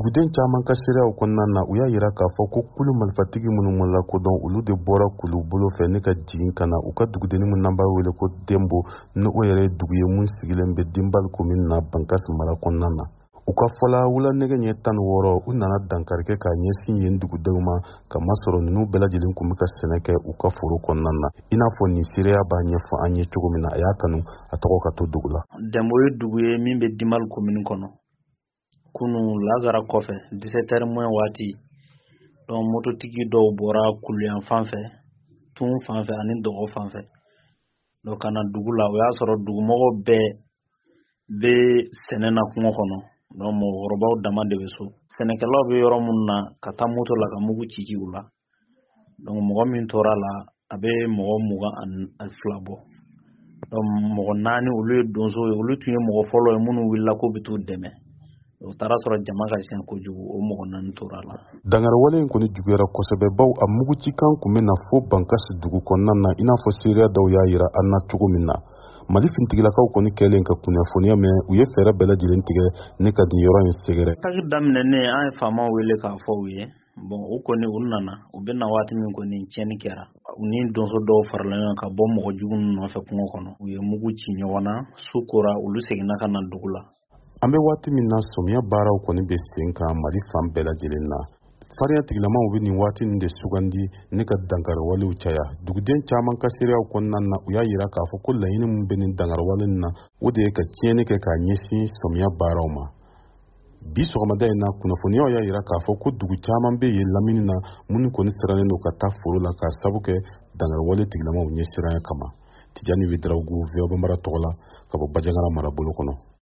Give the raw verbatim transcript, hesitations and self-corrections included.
Duguden caman ka seereyaw kɔnɔna na, u y'a yira k'a fɔ ko kulu marifatigi minnu ma lakodɔn, olu de bɔra kulu bolo fɛ ne ka jigin ka na u ka dugudenni min n'an b'a wele ko Denbo, ni o yɛrɛ ye dugu ye mun sigilen bɛ Dinbal komini na, Bankasi mara kɔnɔna na. U ka fɔla, wula nɛgɛ ɲɛ tan ni wɔɔrɔ, u nana dankari kɛ k'a ɲɛsin yen dugudenw ma, ka masɔrɔ ninnu bɛɛ lajɛlen kun bɛ ka sɛnɛ kɛ u ka foro kɔnɔna na, i n'a fɔ nin seereya b'a ɲɛfɔ an ye cogo min na. A y'a kanu a tɔgɔ ka to dugu la. Dɛnbo ye dugu ye min bɛ Dimal komini kɔnɔ. Kunu lazara kɔfɛ, dix-sept heures moins waati, donc mototigi dɔw bɔra kuluyan fan fɛ, tun fan fɛ ani dɔgɔ fan fɛ, donc ka na dugu la. O y'a sɔrɔ dugumɔgɔw bɛɛ bɛ sɛnɛ na kungo kɔnɔ, donc mɔgɔkɔrɔbaw dama de bɛ so. Sɛnɛkɛlaw bɛ yɔrɔ minnu na, ka taa moto la ka mugu ci ci u la. Donc mɔgɔ min tora la, a bɛ mɔgɔ mugan ani fila bɔ. Donc mɔgɔ naani, olu ye donso ye, olu tun ye mɔgɔ fɔlɔ ye minnu wulila k'u bɛ t'u dɛmɛ. O taara sɔrɔ jama ka siɲɛ kojugu, o mɔgɔ naani tora la. Dangariwale in kɔni juguyara kosɛbɛ, baw a mugucikan kun bɛ na fo Bankasi dugu kɔnɔna na, i n'a fɔ seereya dɔw y'a yira an na cogo min na. Mali finitigilakaw kɔni kɛlen ka kunnafoniya mɛn, u ye fɛɛrɛ bɛɛ lajɛlen tigɛ ne ka nin yɔrɔ in sɛgɛrɛ. Attaque daminɛnen, an ye faamaw wele k'a fɔ u ye. Bon, u kɔni u nana. U bɛ na waati min kɔni, tiɲɛni kɛra. U ni donso dɔw farala ɲɔgɔn ka bɔ mɔgɔ jugu ninnu nɔfɛ kungo kɔnɔ. U ye mugu ci ɲɔgɔn na, su kora, olu seginna ka na dugu la. An bɛ waati min na, sɔmiya baaraw kɔni bɛ sen kan Mali fan bɛɛ lajɛlen na. Farinya tigilamaw bɛ nin waati nin de sugandi ne ka dankariwalew caya. Duguden caman ka seereyaw kɔnɔna na, u y'a yira k'a fɔ ko laɲini min bɛ nin dankariwale nin na, o de ye ka tiɲɛni kɛ k'a ɲɛsin sɔmiya baaraw ma. Bi sɔgɔmada in na, kunnafoniyaw y'a yira k'a fɔ ko dugu caman bɛ yen lamini na minnu kɔni sirannen don ka taa foro la, k'a sabu kɛ dankariwale tigilamaw ɲɛsiranya kama. Tijani Wedarawogo, V O A Bambara tɔgɔ la, ka bɔ Bajangara marabolo kɔnɔ.